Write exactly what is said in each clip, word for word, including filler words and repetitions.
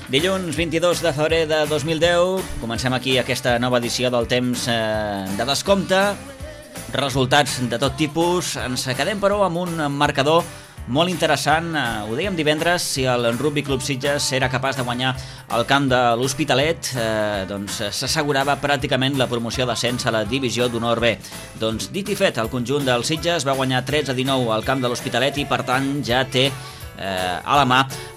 Dilluns vint-i-dos de febrer de dos mil deu, comencem aquí aquesta nova edició del temps eh, de descompte. Resultats de tot tipus. Ens quedem, però, amb un marcador molt interessant. Eh, ho dèiem divendres, si el Rugby Club Sitges era capaç de guanyar el camp de l'Hospitalet, eh, doncs s'assegurava pràcticament la promoció d'ascens a la divisió d'honor B. Doncs dit i fet, el conjunt del Sitges va guanyar tretze a dinou al camp de l'Hospitalet i, per tant, ja té Eh, a la mà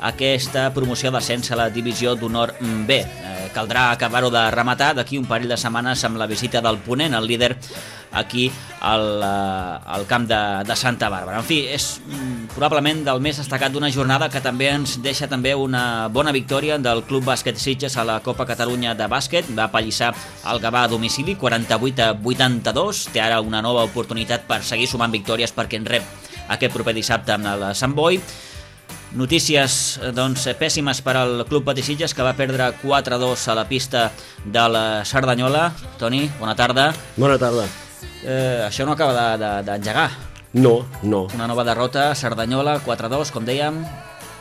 aquesta promoció d'ascens a la divisió d'honor B. Eh, caldrà acabar-ho de rematar d'aquí un parell de setmanes amb la visita del Ponent, el líder, aquí al, eh, al camp de, de Santa Bàrbara. En fi, és mm, probablement del més destacat d'una jornada que també ens deixa també una bona victòria del Club Bàsquet Sitges a la Copa Catalunya de bàsquet. Va apallissar el Gavà a domicili, quaranta-vuit a vuitanta-dos. Té ara una nova oportunitat per seguir sumant victòries perquè en rep aquest proper dissabte amb el Sant Boi. Notícies doncs, pèssimes per al Club Patí Sitges, que va perdre quatre a dos a la pista de la Cerdanyola. Toni, bona tarda. Bona tarda. Eh, això no acaba d'engegar. De, no, no. Una nova derrota, Cerdanyola, quatre a dos, com dèiem.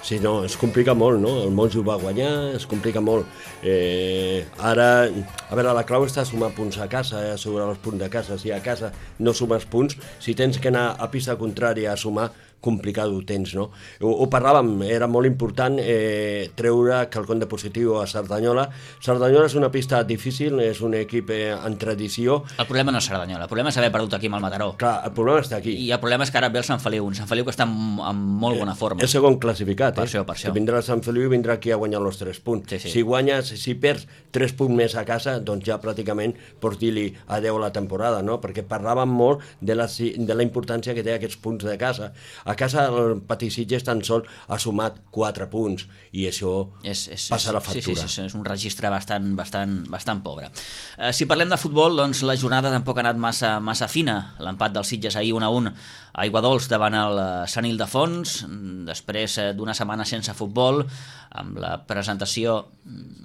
Sí, no, es complica molt, no? El Monjo va guanyar, es complica molt. Eh, ara, a veure, la clau està a sumar punts a casa, eh, assegurar els punts de casa. Si a casa no sumes punts, si tens que anar a pista contrària a sumar, complicat ho tens, no? Ho, ho parlàvem, era molt important eh, treure quelcom de positiu a Cerdanyola. Cerdanyola és una pista difícil, és un equip eh, en tradició. El problema no és Cerdanyola, el problema és haver perdut aquí amb el Mataró. Clar, el problema està aquí. I el problema és que ara ve el Sant Feliu, un Sant Feliu que està en, en molt bona forma. És segon classificat, per eh? això, per això. Que vindrà el Sant Feliu i vindrà aquí a guanyar els tres punts. Sí, sí. Si guanyes, si perds tres punts més a casa, doncs ja pràcticament pots dir-li adeu a la temporada, no? Perquè parlàvem molt de la, de la importància que té aquests punts de casa. A casa el Patí Sitges tan sol ha sumat quatre punts i això és, és, passa la factura. Sí, sí, sí, és un registre bastant, bastant, bastant pobre. Eh, si parlem de futbol, doncs la jornada tampoc ha anat massa, massa fina. L'empat del Sitges ahir un a un a Aiguadols davant el Sant Ildefons, després d'una setmana sense futbol, amb la presentació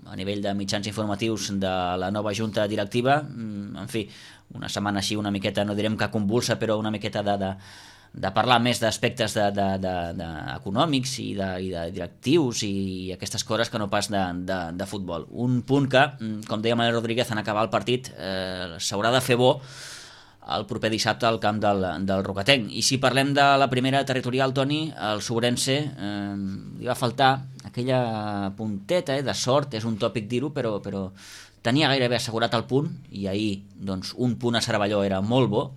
a nivell de mitjans informatius de la nova junta directiva. En fi, una setmana així una miqueta, no direm que convulsa, però una miqueta de... de de parlar més d'aspectes de, de, de, de econòmics i de, i de directius i aquestes coses que no pas de, de, de futbol. Un punt que, com deia Manel Rodríguez en acabar el partit, eh, s'haurà de fer bo el proper dissabte al camp del, del Rocatenc. I si parlem de la primera territorial, Toni, el Sobrense eh, li va faltar aquella punteta eh, de sort, és un tòpic dir-ho, però, però tenia gairebé assegurat el punt i ahir doncs, un punt a Cervelló era molt bo,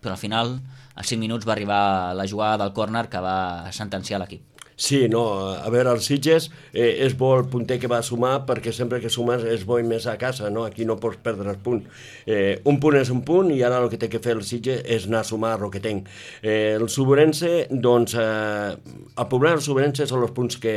però al final a cinc minuts va arribar la jugada del córner que va sentenciar l'equip. Sí, no, a veure, el Sitges eh, és bo el punter que va sumar perquè sempre que sumes és bo i més a casa, no? Aquí no pots perdre el punt. Eh, un punt és un punt i ara el que té que fer el Sitges és anar a sumar a Roquetenc. Eh, el Sobrense, doncs, eh, el problema del Sobrense són els punts que,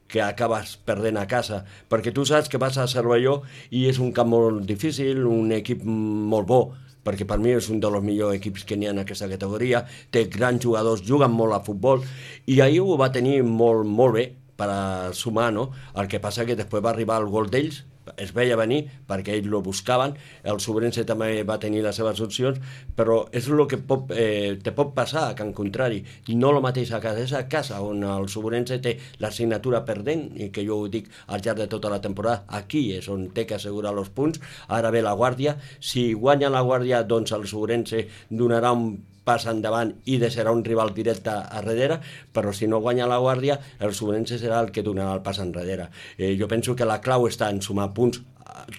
que acabes perdent a casa, perquè tu saps que vas a Cervelló i és un camp molt difícil, un equip molt bo, perquè per mi és un dels millors equips que n'hi ha en aquesta categoria, té grans jugadors, juguen molt a futbol, i ahir ho va tenir molt, molt bé per a sumar, no? El que passa que després va arribar el gol d'ells, es veia venir perquè ells lo buscaven, el Sobrense també va tenir les seves opcions, però és el que pot, eh, te pot passar a Can Contrari, i no el mateix a casa, és a casa on el Sobrense té l'assignatura perdent, i que jo ho dic al llarg de tota la temporada, aquí és on té que assegurar els punts. Ara ve la Guàrdia, si guanya la Guàrdia, doncs el Sobrense donarà un pas endavant i deixarà un rival directe a darrere, però si no guanya la Guàrdia, el Sobrense serà el que donarà el pas enrere. Eh, jo penso que la clau està en sumar punts,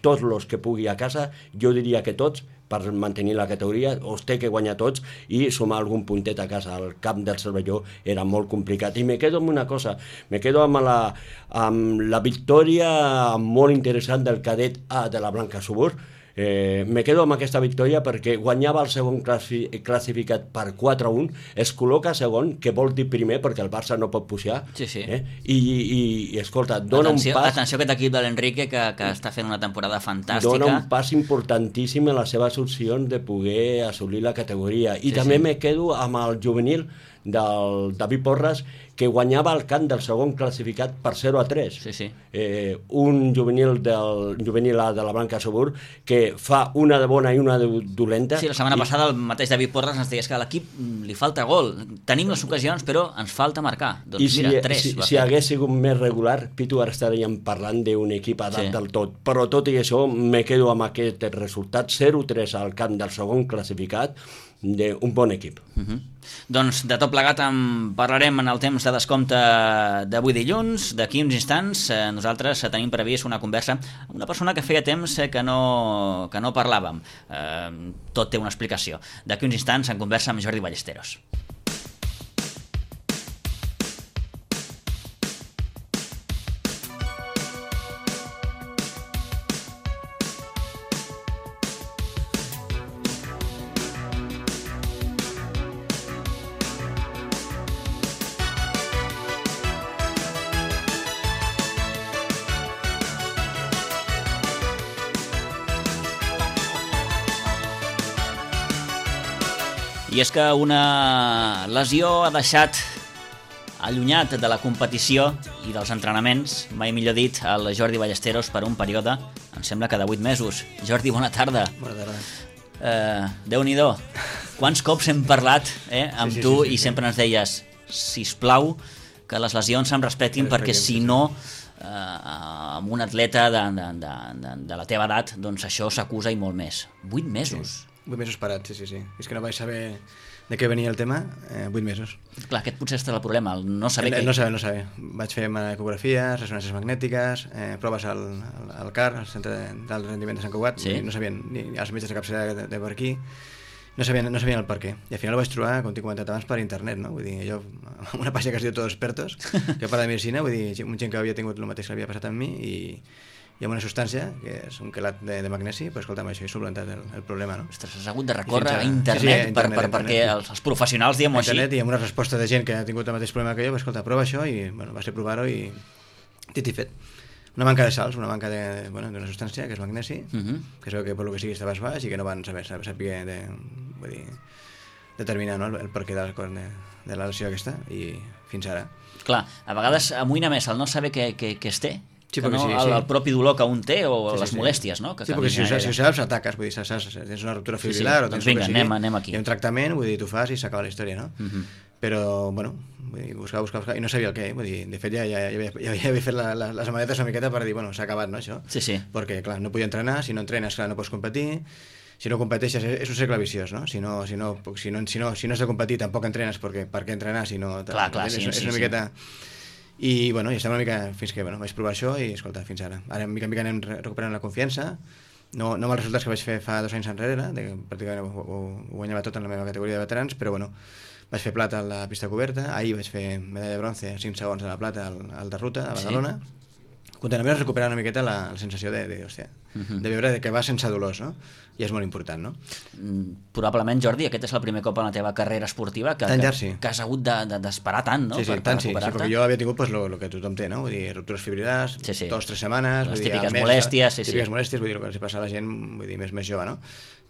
tots els que pugui a casa, jo diria que tots, per mantenir la categoria, els té que guanyar tots i sumar algun puntet a casa. El camp del Cervelló era molt complicat. I me quedo amb una cosa, me quedo amb la, amb la victòria molt interessant del cadet A de la Blanca Subur. Eh, me quedo amb aquesta victòria perquè guanyava el segon classi classificat per quatre a un, es col·loca segon, que vol dir primer perquè el Barça no pot pujar, sí, sí. Eh? I, i, i escolta, dona atenció, un pas... Atenció a aquest equip de l'Enrique que, que està fent una temporada fantàstica. Dona un pas importantíssim en les seves opcions de poder assolir la categoria. I sí, també sí. me quedo amb el juvenil del David Porras, que guanyava el camp del segon classificat per zero a tres. Sí, sí. Eh, un juvenil del juvenil A de la Blanca Sobur que fa una de bona i una de dolenta. Sí, la setmana i... passada el mateix David Porras ens deies que a l'equip li falta gol. Tenim les ocasions, però ens falta marcar. Doncs I si, mira, tres. si, si hagués sigut més regular, Pitu, ara estaríem parlant d'un equip a dalt sí. del tot. Però tot i això, me quedo amb aquest resultat, zero a tres al camp del segon classificat, d'un bon equip. Uh -huh. Doncs de tot plegat en parlarem en el temps de descompte d'avui dilluns. D'aquí uns instants eh, nosaltres tenim previst una conversa amb una persona que feia temps eh, que, no, que no parlàvem. Eh, tot té una explicació. D'aquí uns instants en conversa amb Jordi Ballesteros. I és que una lesió ha deixat allunyat de la competició i dels entrenaments, mai millor dit, el Jordi Ballesteros per un període, em sembla que de vuit mesos. Jordi, bona tarda. Bona tarda. Eh, Déu-n'hi-do. Quants cops hem parlat eh, amb sí, sí, tu sí, sí, i sí. sempre ens deies, sisplau, que les lesions se'm respectin, perquè si no, eh, amb un atleta de, de, de, de, de la teva edat, doncs això s'acusa i molt més. Vuit mesos. Sí. Vuit mesos parats, sí, sí, sí. És que no vaig saber de què venia el tema, eh, vuit mesos. Clar, aquest potser està el problema, el no saber el, què... No saber, no saber. Vaig fer ecografies, ressonàncies magnètiques, eh, proves al, al, al C A R, al Centre d'Alt Rendiment de Sant Cugat, sí. no sabien, ni els metges de capçalera de, de per aquí, no sabien, no sabien el per què. I al final ho vaig trobar, com t'he comentat abans, per internet, no? Vull dir, jo, una pàgina que es diu Todos Expertos, que parla de medicina, vull dir, un gent que havia tingut el mateix que havia passat amb mi, i hi ha una substància, que és un quelat de, de magnesi, però escolta'm, això he solventat el, el problema, no? Ostres, has hagut de recórrer a, a internet, sí, sí, a internet, per, per, internet, perquè els, els professionals, diguem-ho així... internet, i amb una resposta de gent que ha tingut el mateix problema que jo, va, escolta, prova això, i bueno, va ser provar-ho i dit i fet. Una manca de sals, una manca de, bueno, d'una substància, que és magnesi, uh -huh. que es veu que per lo que sigui estava baix i que no van saber, saber, saber de, vull dir, determinar, no, el, el perquè de, de, de la lesió aquesta, i fins ara. Clar, a vegades amoïna més el no saber què, què, què es té, sí, que no sí, el, sí. el propi dolor que un té o sí, les sí, molèsties, no? Que sí, perquè si ho, saps, si ho saps, ataques, vull dir, saps, saps, tens una ruptura fibrilar, sí, sí. o tens doncs vinga, que sigui, anem, anem aquí. Hi ha un tractament, vull dir, tu fas i s'acaba la història, no? Uh-huh. Però, bueno, vull dir, buscar, buscar, buscar, i no sabia el què, vull dir, de fet ja, ja, ja, havia, ja havia fet la, la, les maletes una miqueta per dir, bueno, s'ha acabat, no, això? Sí, sí. Perquè, clar, no podia entrenar, si no entrenes, clar, no pots competir, si no competeixes és un cercle viciós, no? Si no, si no, si no, si no, si no has de competir tampoc entrenes, perquè per què entrenar si no... Clar, clar, és, sí, és, sí, és una sí. miqueta... I, bueno, i estem una mica fins que, bueno, vaig provar això i, escolta, fins ara. Ara, mica en mica anem recuperant la confiança, no, no amb els resultats que vaig fer fa dos anys enrere, de que pràcticament ho, ho, ho guanyava tot en la meva categoria de veterans, però, bueno, vaig fer plata a la pista coberta, ahir vaig fer medalla de bronze, cinc segons de la plata al, al de ruta, a Badalona. Sí. Continuem recuperant una miqueta la, la sensació de, de, hòstia, uh-huh. de veure que va sense dolors, no? I és molt important, no? Mm, probablement, Jordi, aquest és el primer cop en la teva carrera esportiva que, tant que, llarg, sí. que has hagut d'esperar de, de, tant, no? Sí, sí, per, tant, per sí, sí, perquè jo havia tingut pues, lo, lo que tothom té, no? Vull dir, ruptures fibrilars, sí, sí. dos, tres setmanes... Les vull dir, típiques mes, molèsties, sí, típiques sí. molèsties, vull dir, el que els passa a la gent, vull dir, més, més jove, no?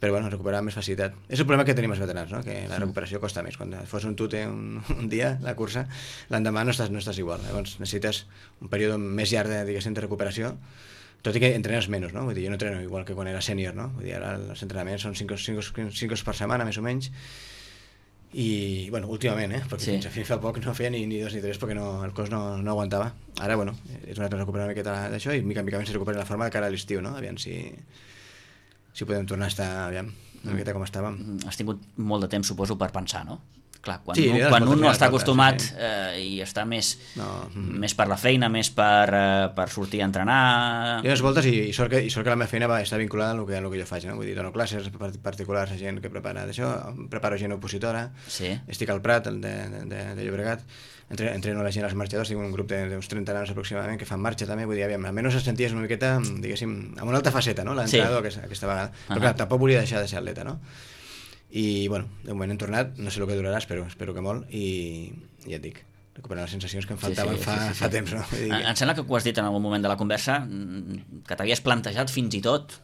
Però, bueno, recuperar amb més facilitat. És el problema que tenim els veterans, no? Que la recuperació costa més. Quan fos un tute un, un dia, la cursa, l'endemà no estàs, no estàs igual. Llavors necessites un període més llarg de, diguéssim, de recuperació, tot i que entrenes menys, no? Vull dir, jo no entreno igual que quan era sènior, no? Vull dir, ara els entrenaments són cinc hores per setmana, més o menys, i, bueno, últimament, eh? Perquè sí. fins a fi fa poc no feia ni, ni dos ni tres perquè no, el cos no, no aguantava. Ara, bueno, és una altra recuperar una miqueta d'això i mica en mica se recupera la forma de cara a l'estiu, no? Aviam si, si podem tornar a estar, aviam, una miqueta com estàvem. Has tingut molt de temps, suposo, per pensar, no? Clar, quan, sí, un, quan un no està voltes, acostumat sí. eh, i està més, no. més per la feina, més per, eh, per sortir a entrenar... Hi ha unes voltes i, i, sort que, i sort que la meva feina va estar vinculada al que, al que jo faig, no? Vull dir, dono classes particulars a gent que prepara d'això, preparo gent opositora, sí. estic al Prat, de, de, de, de Llobregat, Entre, entreno la gent als marxadors, tinc un grup d'uns trenta nanos aproximadament que fan marxa també, vull dir, aviam, almenys es senties una miqueta, diguéssim, amb una altra faceta, no?, l'entrenador sí. aquesta, aquesta vegada. Però uh -huh. clar, tampoc volia deixar de ser atleta, no? I, bueno, de moment hem tornat, no sé el que durarà, espero, espero que molt, i, i ja et dic, recuperar les sensacions que em faltaven sí, sí, fa, sí, sí, sí. fa temps, no? Vull dir que... Em sembla que ho has dit en algun moment de la conversa, que t'havies plantejat fins i tot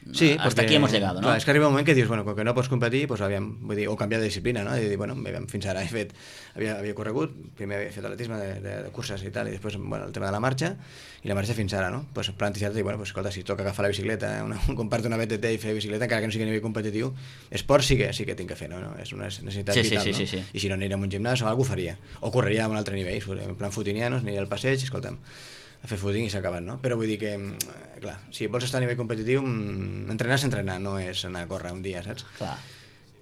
Sí, hasta perquè, aquí hemos llegado, no? Clar, és que arriba un moment que dius, bueno, com que no pots competir, pues, aviam, vull dir, o canviar de disciplina, no? I dir, bueno, aviam, fins ara he fet, havia, havia corregut, primer havia fet atletisme de, de, de curses i tal, i després, bueno, el tema de la marxa, i la marxa fins ara, no? Pues plantejar-te, bueno, pues, escolta, si toca agafar la bicicleta, una, comprar-te una B T T i fer bicicleta, encara que no sigui a nivell competitiu, esport sí que sí que tinc que fer, no? no? És una necessitat sí, sí, vital, sí, no? sí, sí. I si no aniria a un gimnàs o alguna cosa faria, o correria a un altre nivell, en plan futinianos, aniria al passeig, escolta'm, a fer footing i s'ha acabat, no? Però vull dir que, clar, si vols estar a nivell competitiu, entrenar és entrenar, no és anar a córrer un dia, saps? Clar.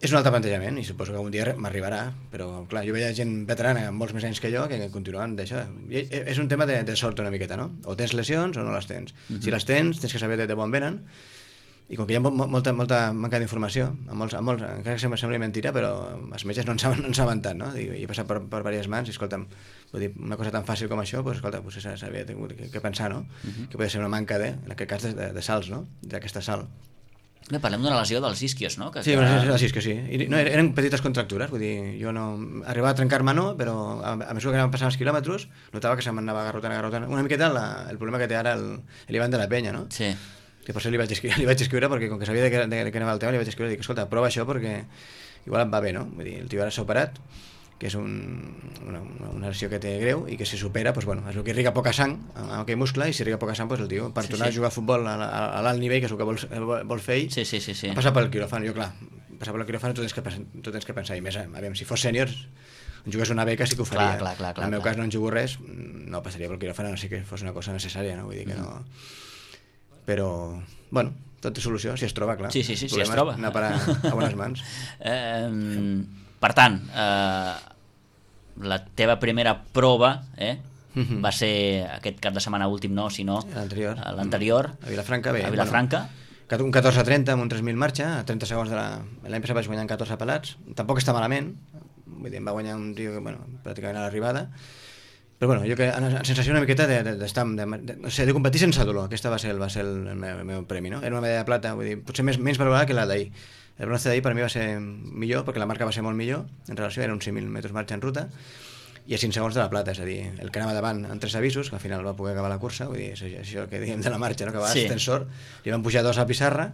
És un altre plantejament i suposo que un dia m'arribarà, però clar, jo veia gent veterana amb molts més anys que jo que continuen d'això. És un tema de, de sort una miqueta, no? O tens lesions o no les tens. Uh-huh. Si les tens, tens que saber de, de bon venen, i com que hi ha molta, molta manca d'informació, a molts, a molts, encara que sembli mentira, però els metges no en saben, no en saben tant, no? I he passat per, per diverses mans i, escolta'm, vull dir, una cosa tan fàcil com això, doncs, escolta, pues, s'havia tingut que, que pensar, no? Uh-huh. Que podia ser una manca de, en aquest cas, de, de, de salts, no? D'aquesta sal. Bé, parlem d'una lesió dels isquios, no? Que, sí, que... una lesió que sí. I, no, eren petites contractures, vull dir, jo no... Arribava a trencar-me no, però a, a mesura que anaven passant els quilòmetres, notava que se m'anava agarrotant, agarrotant. Una miqueta la, el problema que té ara el, l'Ivan de la Penya, no? Sí. Que per això li vaig escriure, li vaig escriure perquè com que sabia de què, de, de què anava el tema, li vaig escriure i dic, escolta, prova això perquè igual em va bé, no? Vull dir, el tio ara s'ha operat, que és un, una, una lesió que té greu i que si supera, doncs, bueno, és el que irriga poca sang amb aquell muscle i si irriga poca sang, doncs, el tio per sí, tornar sí. a jugar a futbol a, a, a l'alt nivell, que és el que vol, vol fer ell, sí, sí, sí, sí. passar pel quiròfan. Jo, clar, passar pel quiròfan tu tens que, tu tens que pensar, i més, aviam, si fos sèniors, jugués una beca sí que ho faria. Clar, clar, clar, clar, en el meu clar. cas no en jugo res, no passaria pel quiròfan, no sé que fos una cosa necessària, no? Vull dir que no... Però, bueno, tot té solució, si es troba, clar. Sí, sí, sí, si es troba. Anar a parar a bones mans. eh, per tant, eh, la teva primera prova eh, mm-hmm. va ser aquest cap de setmana últim, no, sinó l'anterior. l'anterior. A Vilafranca, bé. A Vilafranca. Bueno, un catorze trenta amb un tres mil marxa, a trenta segons de la... L'any passat vaig guanyar en catorze pelats, tampoc està malament, vull dir, em va guanyar un tio que, bueno, pràcticament a l'arribada, però bueno, jo que en sensació una miqueta d'estar, de, de, de, de, de competir sense dolor, aquesta va ser el, va ser el, el, meu, el meu premi, no? Era una medalla de plata, vull dir, potser més, menys valorada que la d'ahir. El bronze d'ahir per mi va ser millor, perquè la marca va ser molt millor, en relació, era uns cinc mil metres marxa en ruta, i a cinc segons de la plata, és a dir, el que anava davant en tres avisos, que al final va poder acabar la cursa, vull dir, és això que diguem de la marxa, no? Que va sí. Tensor, li van pujar dos a pissarra,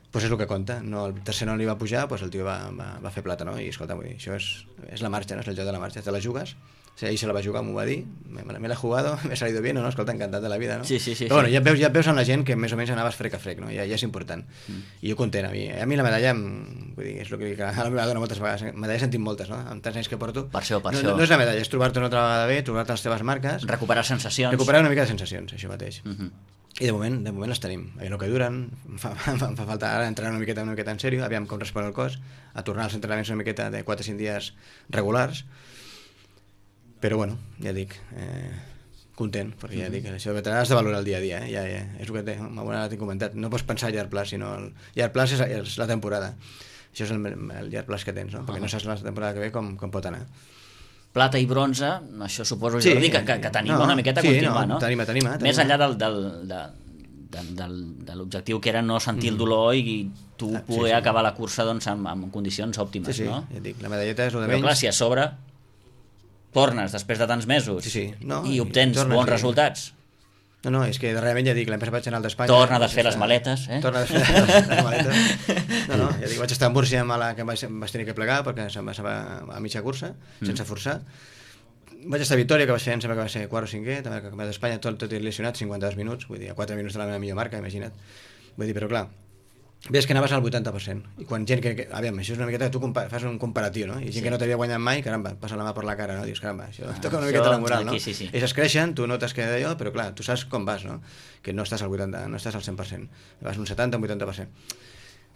doncs és el que compta, no, el tercer no li va pujar, doncs el tio va, va, va fer plata, no? I escolta, vull dir, això és, és la marxa, no? És el joc de la marxa, te la jugues. O sigui, ahí se la va jugar, m'ho va dir, me, me l'he jugado, me ha salido bien, no? Escolta, encantat de la vida, no? Sí, sí, sí. Però bueno, sí. ja et veus, ja et veus amb la gent que més o menys anaves frec a frec, no? Ja, ja és important. Mm. I jo content, a mi, a mi la medalla, vull dir, és el que dic a la meva dona moltes vegades, medalla he sentit moltes, no? Amb tants anys que porto. Per això, per no, això. No, no és la medalla, és trobar-te una altra vegada bé, trobar-te les teves marques. Recuperar sensacions. Recuperar una mica de sensacions, això mateix. Mm-hmm. I de moment, de moment les tenim. Aviam el que duren, em fa, fa, fa falta ara entrenar una miqueta, una miqueta en sèrio, aviam com respon el cos, a tornar als entrenaments una miqueta de quatre o cinc dies regulars. Però bueno, ja dic, eh, content, perquè ja dic, això de veterà has de valorar el dia a dia, eh? Ja, ja, és el que té, m'ho t'he comentat, no pots pensar a llarg plaç, sinó el llarg plaç és, és la temporada, això és el, el llarg plaç que tens, no? Perquè uh-huh. no saps la temporada que ve com, com pot anar. Plata i bronze, això suposo sí, Jordi, que, que, que t'anima no, una miqueta sí, a continuar, no? no? T'anima, t'anima, t'anima. Més enllà del, del, de, de, del, de l'objectiu que era no sentir mm. el dolor i tu ah, poder sí, sí. acabar la cursa doncs, amb, amb condicions òptimes, sí, sí. no? Ja dic, la medalleta és el de menys. Però clar, si a sobre tornes després de tants mesos sí, sí. No, i obtens tornes, bons sí. resultats. No, no, és que darrerament ja dic, l'any passat vaig anar al d'Espanya. Torna a desfer les maletes, eh? Torna a desfer les, les maletes. No, no, ja dic, vaig estar a Múrcia amb la que em vaig, em vaig tenir que plegar perquè se'm va a mitja cursa, mm. sense forçar. Vaig estar a Vitòria, que va ser, em sembla que va ser quart o cinquè, també que a d'Espanya tot, tot lesionat, cinquanta-dos minuts, vull dir, a quatre minuts de la meva millor marca, imagina't. Vull dir, però clar, ves que anaves al vuitanta per cent, i quan gent que, que aviam, això és una miqueta que tu compa fas un comparatiu, no? I gent sí. que no t'havia guanyat mai, caramba, passa la mà per la cara, no? Dius, caramba, això ah, toca una miqueta la moral, aquí, no? Sí, sí. Ells es creixen, tu notes que d'allò, però clar, tu saps com vas, no? Que no estàs al vuitanta, no estàs al cent per cent, vas un setanta, un vuitanta per cent.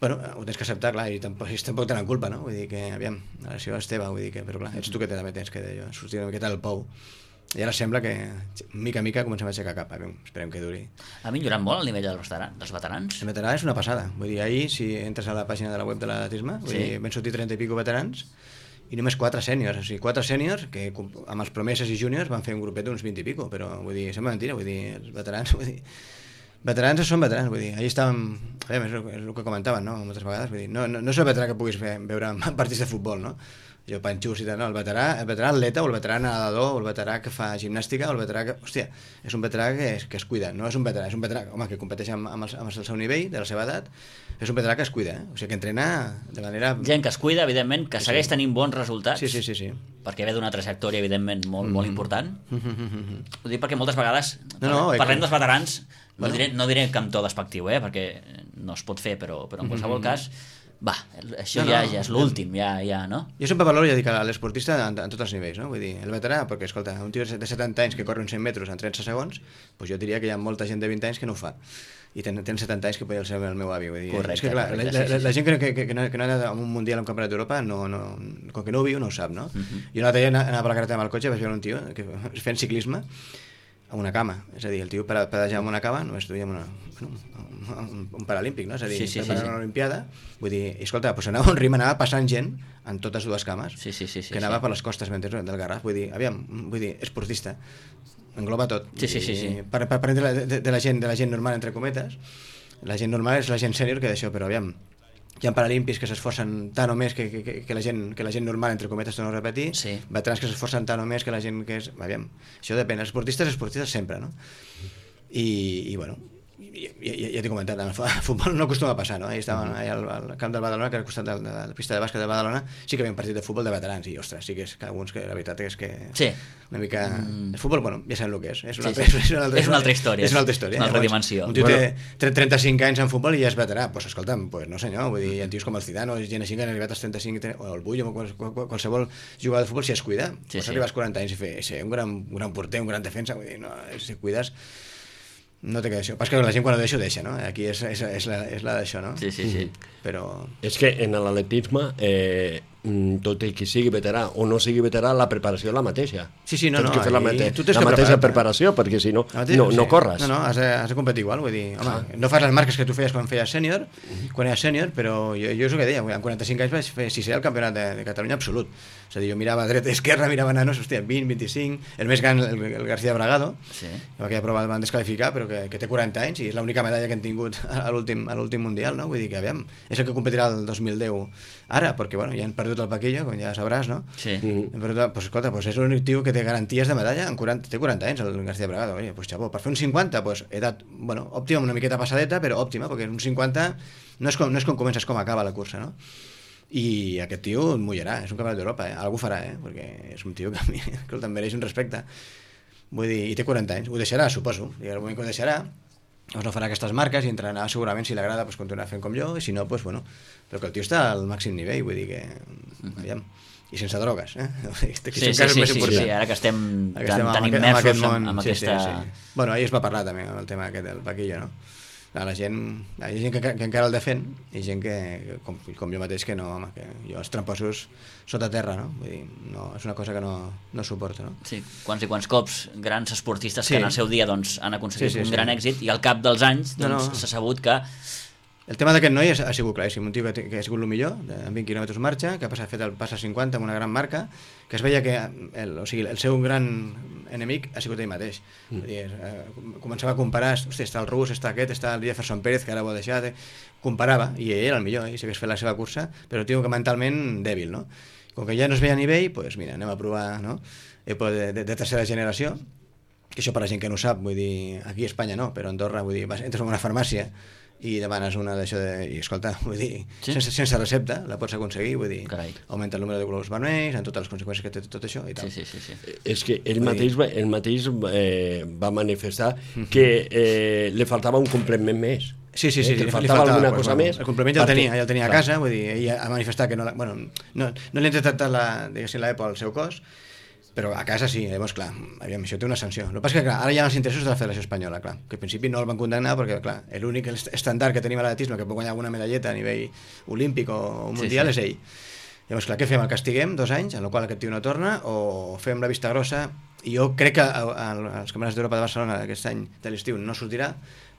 Bueno, ho tens que acceptar, clar, i tampoc, ells tampoc tenen culpa, no? Vull dir que, aviam, la lesió és teva, vull dir que, però clar, ets tu que també tens que d'allò, sortir una miqueta del pou. I ara sembla que, mica a mica, comencem a aixecar cap. Esperem que duri. Ha millorat molt el nivell dels veterans? Dels veterans? El veterà és una passada. Vull dir, ahir, si entres a la pàgina de la web de l'atletisme, sí. vam sortir trenta i pico veterans i només quatre sèniors. O sigui, quatre sèniors que amb els promeses i júniors van fer un grupet d'uns vint i pico, però vull dir, sembla mentira, vull dir, els veterans, vull dir, veterans són veterans, vull dir, ahir estàvem, és el que comentaven, no?, moltes vegades, vull dir, no, no, no és el veterà que puguis fer, veure partits de futbol, no? jo panxus i tal, no, el veterà, el veterà atleta o el veterà nedador o el veterà que fa gimnàstica o el veterà que, hòstia, és un veterà que es, que es cuida, no és un veterà, és un veterà, home, que competeix amb, amb, el, amb el seu nivell, de la seva edat, és un veterà que es cuida, eh? O sigui, que entrena de manera... Gent que es cuida, evidentment, que segueix sí. tenint bons resultats, sí, sí, sí, sí. perquè ve d'una trajectòria, evidentment, molt, mm. molt important. Mm -hmm. Ho dic perquè moltes vegades, no, no, parlem que... dels veterans, no, bueno. diré, no diré que amb to despectiu, eh? perquè no es pot fer, però, però en qualsevol mm -hmm. cas... Va, això no, ja, no, ja és l'últim, ja, ja, no? Jo sempre valoro, ja dic, a l'esportista en, en tots els nivells, no? Vull dir, el veterà, perquè, escolta, un tio de setanta anys que corre uns cent metres en trenta segons, doncs jo diria que hi ha molta gent de vint anys que no ho fa. I ten, ten setanta anys que podria ser el meu avi, vull dir. Correcte, és que, clar, correcte, la, la, sí, sí, la sí. gent que, que, que, no, que no ha anat a un mundial, a un campionat d'Europa, no, no, com que no ho viu, no ho sap, no? Uh -huh. Jo l'altre dia anava per la carretera amb el cotxe, vaig veure un tio que fent ciclisme amb una cama, és a dir, el tio per pedajar amb una cama només duia una, un, un paralímpic, no? És a dir, sí, sí, per sí, sí. una olimpiada, vull dir, escolta, doncs anava un rim, anava passant gent en totes dues cames, sí, sí, sí, sí, que anava sí. per les costes del Garraf, vull dir, aviam, vull dir, esportista, engloba tot. Sí, sí, sí, sí. Per, per, per de, de, de, la gent, de la gent normal, entre cometes, la gent normal és la gent sènior que d'això, però aviam, hi ha paralímpics que s'esforcen tant o més que, que, que, la gent, que la gent normal, entre cometes, torno a repetir, sí. veterans que s'esforcen tant o més que la gent que és... Aviam, això depèn, esportistes, esportistes sempre, no? I, i bueno, ja, ja, ja t'he comentat, el futbol no acostuma a passar, no? Ahí estàvem allà al, al camp del Badalona, que era al costat de, de la pista de bàsquet de Badalona, sí que havia un partit de futbol de veterans, i ostres, sí que és que alguns que la veritat és que... Sí. Una mica... Mm. El futbol, bueno, ja sabem el que és. És una, sí, sí. és una, altra, és una altra història. És una altra història. És una altra dimensió. Un tio bueno. té trenta-cinc anys en futbol i ja és veterà. Doncs pues, escolta'm, pues, no senyor, vull dir, hi ha tios com el Zidane o gent així que han arribat als trenta-cinc, o el Bull, o qualsevol jugador de futbol, si es cuida, sí, pots sí. arribar als quaranta anys i fer, ser un gran, un gran porter, un gran defensa, vull dir, no, si cuides... No té que d'això. Pas que la gent quan ho deixa, ho deixa, no? Aquí és, és, és la, és la d'això, no? Sí, sí, sí. Però... És que en l'atletisme, eh, tot i que sigui veterà o no sigui veterà, la preparació és la mateixa. Sí, sí, no, Tens no. que fer la, mate tu la mateixa preparat, preparació, perquè si no, mateix, no, no sí. corres. No, no, has de, has de competir igual, vull dir, home, ah. no fas les marques que tu feies quan feies sènior, quan eres sènior, però jo, jo és el que deia, amb quaranta-cinc anys vaig fer sisè al campionat de, de Catalunya absolut. És a dir, jo mirava a dreta i esquerra, mirava nanos, hòstia, vint, vint-i-cinc, el més gran, el, el García Bragado, sí. que aquella prova el van descalificar, però que, que té quaranta anys i és l'única medalla que han tingut a l'últim mundial, no? Vull dir que, aviam, és el que competirà el dos mil deu ara, perquè, bueno, ja han perdut el Paquillo, com ja sabràs, no? Sí. Mm. Però, pues, escolta, pues és l'únic tio que té garanties de medalla, en quaranta, té quaranta anys, el García Bragado. Oye, pues, xapó, per fer un cinquanta, pues, edat, bueno, òptima, una miqueta passadeta, però òptima, perquè un cinquanta no és com, no és com comences, com acaba la cursa, no? I aquest tio et mullarà, és un campionat d'Europa, eh? Algú farà, eh? Perquè és un tio que a mi, escolta, em mereix un respecte. Vull dir, i té quaranta anys, ho deixarà, suposo, i al moment que ho deixarà, doncs no farà aquestes marques i entrenarà segurament, si l'agrada, pues, continuarà fent com jo, i si no, pues, bueno, però que el tio està al màxim nivell, vull dir que, aviam, i sense drogues, eh? Sí, sí, sí, sí, sí, sí, ara que estem, que estem tan, tan immersos amb, aquest món, amb, amb aquesta... Sí, sí, sí. Bueno, ahir es va parlar també amb el tema aquest del Paquillo, no? La gent, hi ha gent que, que encara el defèn i gent que, com, com jo mateix, que no, home, que jo els tramposos sota terra, no? Vull dir, no, és una cosa que no, no suporto, no? Sí, quants i quants cops grans esportistes sí. que en el seu dia doncs, han aconseguit sí, sí, un sí. gran èxit i al cap dels anys doncs, no, no. s'ha sabut que... El tema d'aquest noi ha sigut claríssim, un tio que, que ha sigut el millor, amb vint quilòmetres marxa, que ha passat, fet el pas a cinquanta amb una gran marca, que es veia que el, o sigui, el seu gran enemic ha sigut ell mateix. Mm. Dir, eh, començava a comparar, hosti, està el rus, està aquest, està el Jefferson Pérez, que ara ho ha deixat, eh? Comparava, i ell era el millor, ell s'hagués fet la seva cursa, però tio que mentalment dèbil, no? Com que ja no es veia a nivell, doncs mira, anem a provar, no? Epo de, de, de tercera generació, que això per la gent que no ho sap, vull dir, aquí a Espanya no, però a Andorra, vull dir, vas, entres en una farmàcia i demanes una d'això de... I escolta, vull dir, sí? sense, sense recepta la pots aconseguir, vull dir, Carai. augmenta el número de globus vermells, amb totes les conseqüències que té tot això i tal. Sí, sí, sí, sí. És que ell mateix, ell mateix eh, va manifestar que eh, li faltava un complement més. Sí, sí, sí, eh, que li, li faltava, faltava alguna pues, cosa bueno, més. el complement ja el tenia, ja el tenia a clar. casa, vull dir, ell ha manifestat que no, la, bueno, no, no li han detectat la, diguéssim, l'E P O al seu cos, però a casa sí, llavors, clar, aviam, això té una sanció. El que passa és que, clar, ara hi ha els interessos de la Federació Espanyola, clar, que al principi no el van condemnar perquè, clar, l'únic estàndard que tenim a l'atletisme que pot guanyar alguna medalleta a nivell olímpic o mundial sí, sí. és ell. Llavors, clar, què fem? El castiguem dos anys, en el qual aquest tio no torna, o fem la vista grossa, i jo crec que als Campionats d'Europa de Barcelona d'aquest any de l'estiu no sortirà,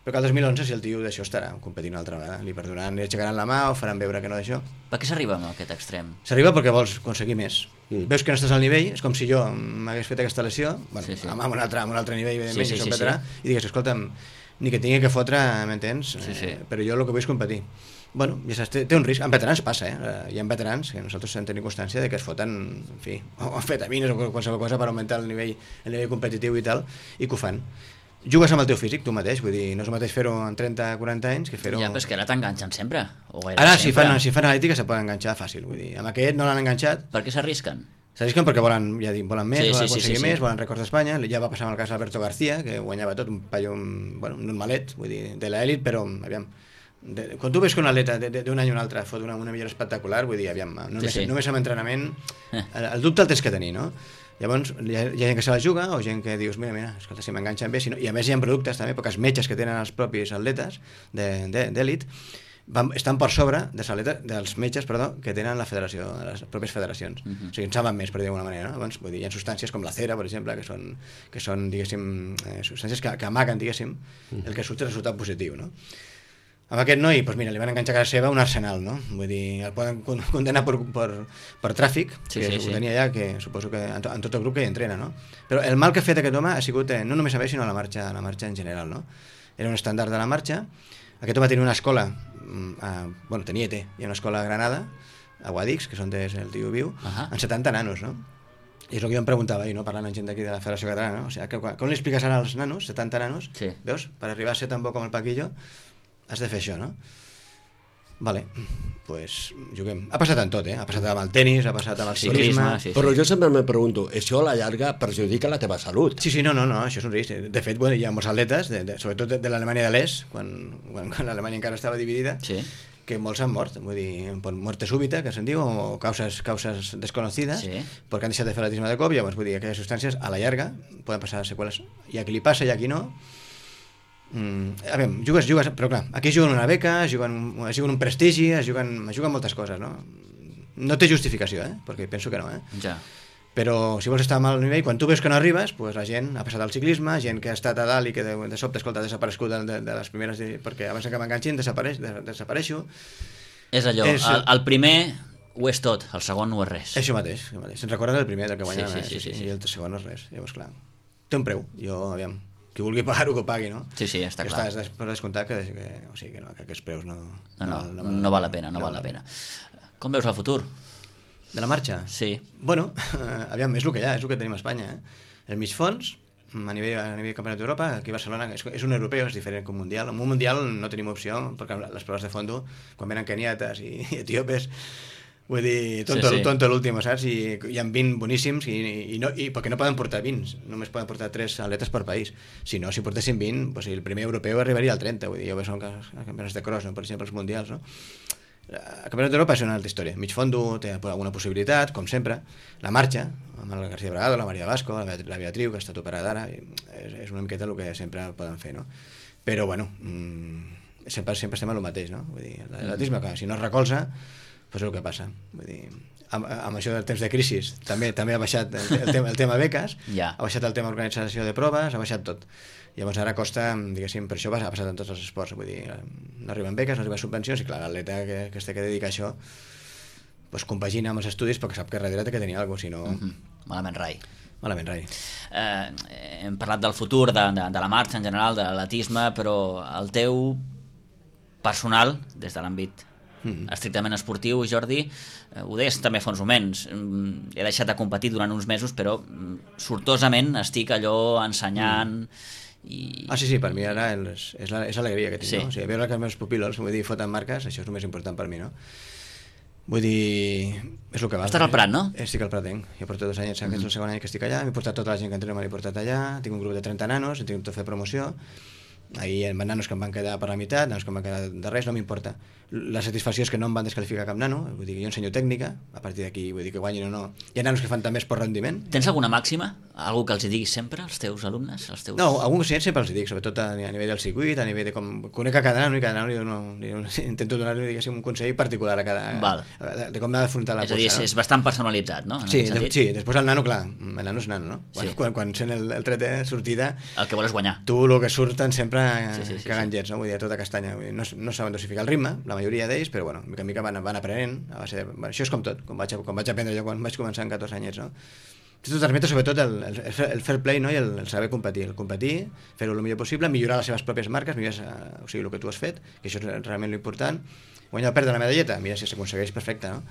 però que el dos mil onze, si el tio d'això estarà competint una altra vegada, li perdonaran, li aixecaran la mà o faran veure que no d'això. Per què s'arriba a aquest extrem? S'arriba perquè vols aconseguir més. Mm. Veus que no estàs al nivell, és com si jo m'hagués fet aquesta lesió, bueno, sí, sí. amb, un altre, amb un altre nivell, evidentment, sí, sí, si soc sí, veterà, sí. i digues, escolta'm, ni que tingui que fotre, m'entens? Sí, sí. Eh, però jo el que vull és competir. Bueno, ja saps, té, té un risc. En veterans passa, eh? Hi ha veterans que nosaltres hem tenit constància de que es foten, en fi, o amfetamines o qualsevol cosa per augmentar el nivell, el nivell competitiu i tal, i que ho fan. Jugues amb el teu físic, tu mateix, vull dir, no és el mateix fer-ho en trenta o quaranta anys que fer-ho... Ja, però és que ara t'enganxen sempre. O ara, si fan, si fan analítica, se poden enganxar fàcil, vull dir, amb aquest no l'han enganxat. Per què s'arrisquen? S'arrisquen perquè volen, ja dic, volen més, sí, volen sí, aconseguir sí, sí, més, sí. volen rècords d'Espanya. Ja va passar amb el cas d'Alberto García, que guanyava tot, un paio, un, bueno, un malet, vull dir, de l'elit, però, aviam, de, quan tu veus que un atleta d'un any o un altre fot una, una millora espectacular, vull dir, aviam, només, sí, sí. només amb entrenament, el, el dubte el tens que tenir, no? Llavors, hi ha, hi ha gent que se la juga, o gent que dius, mira, mira, escolta, si m'enganxen bé, si no... I a més hi ha productes també, perquè els metges que tenen els propis atletes d'elit estan per sobre dels, atletes, dels metges perdó, que tenen la federació, les pròpies federacions. Uh -huh. O sigui, en saben més, per dir d'alguna manera. No? Llavors, vull dir, hi ha substàncies com la cera, per exemple, que són, que són diguéssim, eh, substàncies que, que amaguen, diguéssim, uh -huh. el que surt és el resultat positiu, no? Amb aquest noi, doncs mira, li van enganxar a casa seva un arsenal, no? Vull dir, el poden condenar per, per, per tràfic, sí, que sí, ho sí. tenia ja, que suposo que en, to, en tot el grup que hi entrena, no? Però el mal que ha fet aquest home ha sigut eh, no només a ell, sinó a la marxa, a la marxa en general, no? Era un estàndard de la marxa. Aquest home tenia una escola, eh, bueno, tenia i té, hi ha una escola a Granada, a Guadix, que és on és el tio viu, uh -huh. amb setanta nanos, no? I és el que jo em preguntava, i no parlant amb gent d'aquí de la Federació Catalana, no? O sigui, que, com li expliques ara als nanos, setanta nanos, sí. veus? Per arribar a ser tan bo com el Paquillo, has de fer això, no? Vale, pues juguem. Ha passat en tot, eh? Ha passat amb el tenis, ha passat amb el ciclisme... Sí, sí. Però jo sempre me pregunto, això a la llarga perjudica la teva salut? Sí, sí, no, no, no, això és un risc. De fet, bueno, hi ha molts atletes, de, de, sobretot de, de l'Alemanya de l'Est, quan, quan, quan l'Alemanya encara estava dividida, sí. que molts han mort, vull dir, per muerte súbita, que se'n diu, o causes, causes desconocides, sí. perquè han deixat de fer atletisme de cop, llavors, vull dir, aquelles substàncies, a la llarga, poden passar seqüeles. Hi ha qui li passa i a qui no. Mm, a veure, jugues, jugues, però clar, aquí es juguen una beca, es juguen, es juguen un prestigi, es juguen, es juguen moltes coses, no? No té justificació, eh? Perquè penso que no, eh? Ja. Però si vols estar a mal nivell, quan tu veus que no arribes, pues la gent ha passat al ciclisme, gent que ha estat a dalt i que de, de sobte, escolta, ha desaparegut de, de, de les primeres, perquè abans que m'enganxin desapareix, de, desapareixo. És allò, és, el, el primer ho és tot, el segon no és res. Això mateix, això mateix. Se'n recorden del primer, del que guanya, sí, sí, sí, sí, sí. i el segon no és res. Llavors, clar, té un preu, jo, aviam, qui vulgui pagar-ho, que ho pagui, no? Sí, sí, està clar. Estàs per descomptar que, que, o sigui, que, no, que aquests preus no... No, no, no, no, no val la pena, no, no val la pena. Com veus el futur? De la marxa? Sí. Bueno, aviam, és el que hi ha, és el que tenim a Espanya. Eh? El mig fons, a nivell, a nivell campionat d'Europa, aquí a Barcelona, és, és un europeu, és diferent que un mundial. En un mundial no tenim opció, perquè les proves de fondo, quan venen keniates i, i etíopes, vull dir, tonto, sí, sí. tonto l'últim, saps? I hi ha vint boníssims, i, i, no, i perquè no poden portar vint, només poden portar tres atletes per país. Si no, si portessin vint, pues, el primer europeu arribaria al trenta, vull dir, jo veig els campionats de cross, no? Per exemple, els mundials, no? El campionat d'Europa és una altra història. Mig fondo té alguna possibilitat, com sempre. La marxa, amb el García Bragado, la Maria Vasco, la, la Beatriu, que ha estat operada ara, és, és una miqueta el que sempre poden fer, no? Però, bueno, mmm, sempre, sempre estem a lo mateix, no? Vull dir, l'atletisme, que si no es recolza, doncs és el que passa. Vull dir, amb, amb això del temps de crisi també també ha baixat el, el, tema, el tema beques, ja. ha baixat el tema organització de proves, ha baixat tot. Llavors ara costa, diguéssim, per això ha passat en tots els esports, vull dir, no arriben beques, no arriben subvencions, i clar, l'atleta que, que es té que dedicar a això pues, compagina amb els estudis perquè sap que darrere té que tenir alguna cosa, si no... Mm -hmm. Malament rai. Malament rai. Eh, hem parlat del futur, de, de, de la marxa en general, de l'atletisme, però el teu personal, des de l'àmbit mm. estrictament esportiu, Jordi, eh, ho deies també fa uns moments, he deixat de competir durant uns mesos, però sortosament estic allò ensenyant... Mm. I... Ah, sí, sí, per mi ara és, és, la, és l'alegria que tinc, sí. no? O sigui, veure que els meus pupil·los, vull dir, foten marques, això és el més important per mi, no? Vull dir, és el que val. Estàs al Prat, no? Estic al Pratenc, jo porto dos anys, mm -hmm. és el segon any que estic allà, m'he portat tota la gent que entreno, m'he portat allà, tinc un grup de trenta nanos, he tingut de fer promoció, ahir hi ha nanos que em van quedar per la meitat, nanos que em van quedar de res, no m'importa. La satisfacció és que no em van descalificar cap nano, vull dir que jo ensenyo tècnica, a partir d'aquí vull dir que guanyin o no. Hi ha nanos que fan també esport rendiment. Tens alguna màxima? Algú que els hi diguis sempre, als teus alumnes? Als teus... No, algun que sempre els hi dic, sobretot a, a nivell del circuit, a nivell de com conec a cada nano, i cada nano li dono, li dono, intento donar-li, diguéssim, un consell particular a cada... Val. De, de com ha d'afrontar la cursa. És a dir, no? és bastant personalitzat, no? Sí, de, sí, després el nano, clar, el nano és nano, no? Quan, sí. quan, quan sent el, el tret de sortida... El que vols guanyar. Tu, el que surten sempre sí, sí, sí, cagant sí. jets, no? Vull dir, tota castanya. Vull dir, no, no saben dosificar el ritme, la majoria d'ells, però, bueno, mica en mica van, van aprenent. A base de, bueno, això és com tot, com vaig, com vaig aprendre jo quan vaig començar amb catorze anyets, no? Tu transmetes sobretot el, el, el fair play, no? I el, el saber competir, el competir, fer-ho el millor possible, millorar les seves pròpies marques, millorar, o sigui, el que tu has fet, que això és realment l'important. Guanyar o perdre la medalleta, mira si s'aconsegueix, perfecte, no?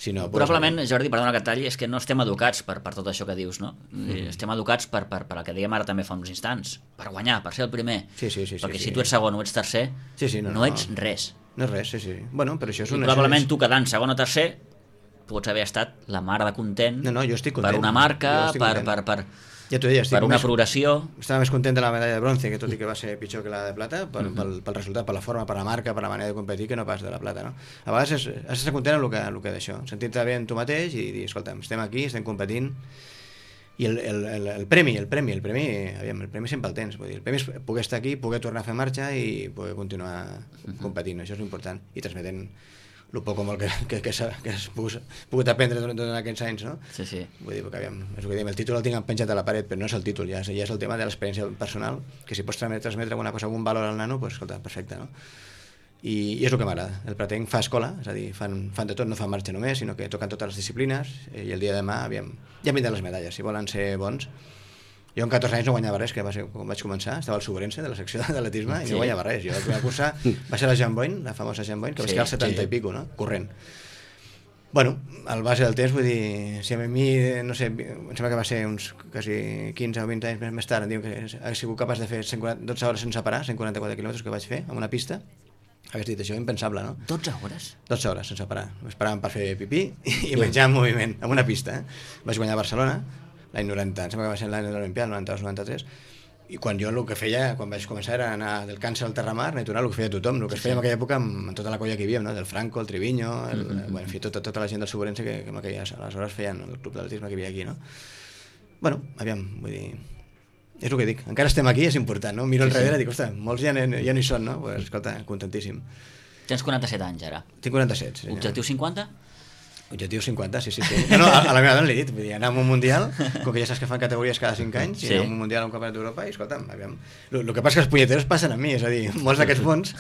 Si no, probablement, pues, Jordi, perdona que et talli, és que no estem educats per, per tot això que dius, no? Mm. Estem educats per, per, per el que dèiem ara també fa uns instants, per guanyar, per ser el primer. Sí, sí, sí, perquè sí, si sí. tu ets segon o ets tercer, sí, sí, no, no, no ets res. No és res, sí, sí. Bueno, però això és I una... probablement tu quedant segon o tercer pots haver estat la mar de content, no, no, jo estic content per una marca, per, per, per, ja deia, per una més, progressió. Estava més content de la medalla de bronze, que tot i que va ser pitjor que la de plata, pel, mm -hmm. pel, pel resultat, per la forma, per la marca, per la manera de competir, que no pas de la plata, no? A vegades és, has d'estar content amb el que, el que d'això, sentir-te bé en tu mateix i dir, escolta, estem aquí, estem competint, i el, el, el, el premi, el premi, el premi, aviam, el premi sempre el tens, vull dir, el premi és poder estar aquí, poder tornar a fer marxa i poder continuar competint, això és important, i transmetent el poc o molt que, que, que, que has pogut, pogut aprendre durant, durant aquests anys, no? Sí, sí. Vull dir, perquè, aviam, és el que diem, el títol el tinc penjat a la paret, però no és el títol, ja és, ja és el tema de l'experiència personal, que si pots transmetre, transmetre alguna cosa, algun valor al nano, doncs, escolta, perfecte, no? I, i és el que m'agrada. El Pratenc fa escola, és a dir, fan, fan de tot, no fan marxa només, sinó que toquen totes les disciplines, i el dia de demà, aviam, ja vindran les medalles, si volen ser bons. Jo amb catorze anys no guanyava res, que va ser quan vaig començar, estava al Sobrense de la secció d'atletisme i sí. no guanyava res. Jo la primera cursa va ser la Jean Boyne, la famosa Jean Boyne, que sí, va ser al setanta sí. i pico, no? Corrent. Bueno, al base del temps, vull dir, si a mi, no sé, em sembla que va ser uns quasi quinze o vint anys més, més tard, em diuen que he sigut capaç de fer cent quaranta, dotze hores sense parar, cent quaranta-quatre quilòmetres que vaig fer en una pista. Hagués dit això, impensable, no? dotze hores? dotze hores sense parar. Esperàvem per fer pipí i, i menjar en moviment, en una pista. Eh? Vaig guanyar a Barcelona, l'any noranta, em sembla que va ser l'any de l'Olimpiada, noranta-dos noranta-tres, i quan jo el que feia, quan vaig començar era anar del Càncer al Terramar, natural, el que feia tothom, el que es feia en aquella època amb, amb tota la colla que hi havia, no? Del Franco, el Triviño, el, mm-hmm. bueno, en fi, tota, tota la gent del Sobrense que, que en aquelles, aleshores feien el club d'atletisme que hi havia aquí, no? Bueno, aviam, vull dir, és el que dic, encara estem aquí, és important, no? Miro sí, enrere i sí. dic, ostres, molts ja, ja no hi són, no? Pues, escolta, contentíssim. Tens quaranta-set anys ara. Tinc quaranta-set, sí. Objectiu cinquanta? Objectiu cinquanta, sí, sí, sí. No, no, a, a la meva dona li he dit, vull dir, anar a un mundial, com que ja saps que fan categories cada cinc anys, sí. i anar a un mundial a un campionat d'Europa, i escolta'm, aviam, el que passa que els punyeteros passen amb mi, és a dir, molts d'aquests bons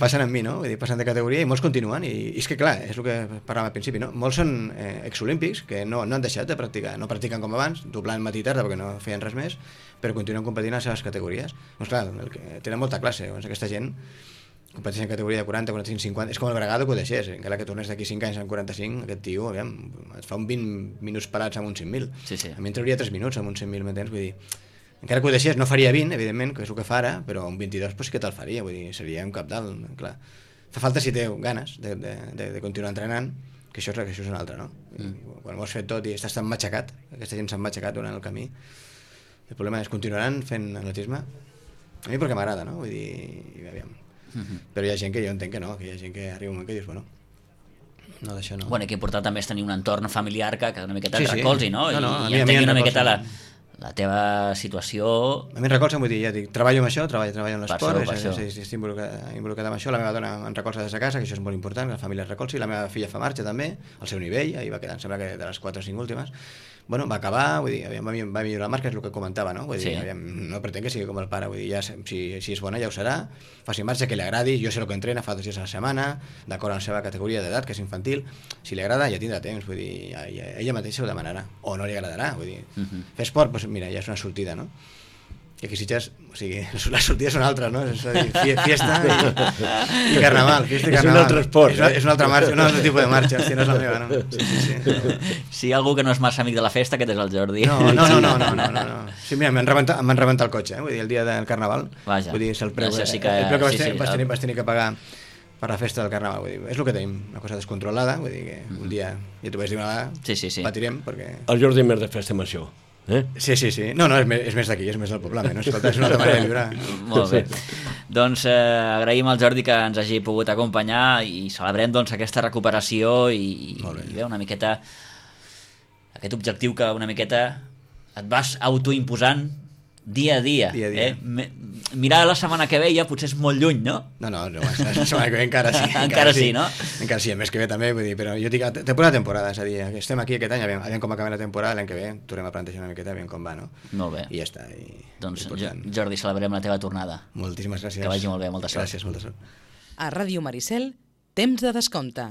passen amb mi, no? Vull dir, passen de categoria i molts continuen, i, i és que clar, és el que parlàvem al principi, no? Molts són eh, exolímpics que no, no han deixat de practicar, no practiquen com abans, doblant matí i tarda perquè no feien res més, però continuen competint a les seves categories. Doncs clar, el que, tenen molta classe, doncs aquesta gent competeix en categoria de quaranta, quaranta-cinc, cinquanta, és com el Bragado que ho deixés, encara que tornés d'aquí cinc anys en quaranta-cinc, aquest tio, aviam, et fa un vint minuts parats amb un cent mil. Sí, sí. A mi em trauria tres minuts amb un cent mil, m'entens? Vull dir, encara que ho deixés, no faria vint, evidentment, que és el que fa ara, però un vint-i-dos pues, sí que te'l faria, vull dir, seria un cap dalt, clar. Fa falta si té ganes de, de, de, de continuar entrenant, que això és, que això és una altra, no? Mm. Quan ho has fet tot i estàs tan matxacat, aquesta gent s'ha matxacat durant el camí, el problema és continuaran fent atletisme, a mi perquè m'agrada, no? Vull dir, aviam, Uh-huh. però hi ha gent que jo entenc que no, que hi ha gent que arriba un moment que dius, bueno, no, d'això no. Bueno, que important també és tenir un entorn familiar que, que una miqueta sí, et sí. recolzi, no? no, no I, i entengui una miqueta la, la teva situació... A mi em recolza, vull dir, ja dic, treballo amb això, treballo, treballo en l'esport, per és, és, és, estic involucrat, involucrat amb això, la meva dona em recolza des de casa, que això és molt important, que la família es recolzi, la meva filla fa marxa també, al seu nivell, ahir va quedar, em sembla que de les quatre o cinc últimes, bueno, va acabar, vull dir, aviam, va millorar la marca, és el que comentava, no? Vull dir, sí. aviam, no pretén que sigui com el pare, vull dir, ja, si, si és bona ja ho serà, faci marxa, que li agradi, jo sé el que entrena, fa dos dies a la setmana, d'acord amb la seva categoria d'edat, que és infantil, si li agrada ja tindrà temps, vull dir, ja, ja, ella mateixa ho demanarà, o no li agradarà, vull dir, uh-huh. fer esport, doncs mira, ja és una sortida, no? I aquí Sitges, o sigui, les sortides són altres, no? És a dir, fiesta i, i carnaval, fiesta i carnaval. És un altre esport. És, és un altre marxa, un altre tipus de marxa, hòstia, no és la meva, no? Sí, sí, sí. Si hi ha algú que no és massa amic de la festa, aquest és el Jordi. No, no, no, no, no, no, no, no. Sí, mira, m'han rebentat, m'han rebentat el cotxe, eh? Vull dir, el dia del carnaval. Vaja. Vull dir, és el preu, sí que... el preu que vas, sí, tenir, sí, vas, tenir, el... vas tenir que pagar per la festa del carnaval, vull dir, és el que tenim, una cosa descontrolada, vull dir que un dia, ja t'ho vaig dir una vegada, sí, sí, sí. patirem, perquè... El Jordi més de festa amb això. Eh? Sí, sí, sí. No, no, és més, és més d'aquí, és més del poblament, no? Escolta, és una altra manera de viure. Molt bé. Doncs eh, agraïm al Jordi que ens hagi pogut acompanyar i celebrem doncs, aquesta recuperació i, i bé, una miqueta aquest objectiu que una miqueta et vas autoimposant dia a dia. dia, a dia. Eh? Mirar la setmana que ve ja potser és molt lluny, no? No, no, no la setmana que ve encara sí. Encara, encara sí, sí, no? Encara sí, el mes que ve també, vull dir, però jo dic, temporada a temporada, és a dir, estem aquí aquest any, aviam, aviam com acabem la temporada, l'any que ve tornem a plantejar una miqueta, aviam com va, no? Molt bé. I ja està. I, doncs, Jordi, celebrem la teva tornada. Moltíssimes gràcies. Que vagi molt bé, molta sort. Gràcies, molta sort. A Ràdio Maricel, temps de descompte.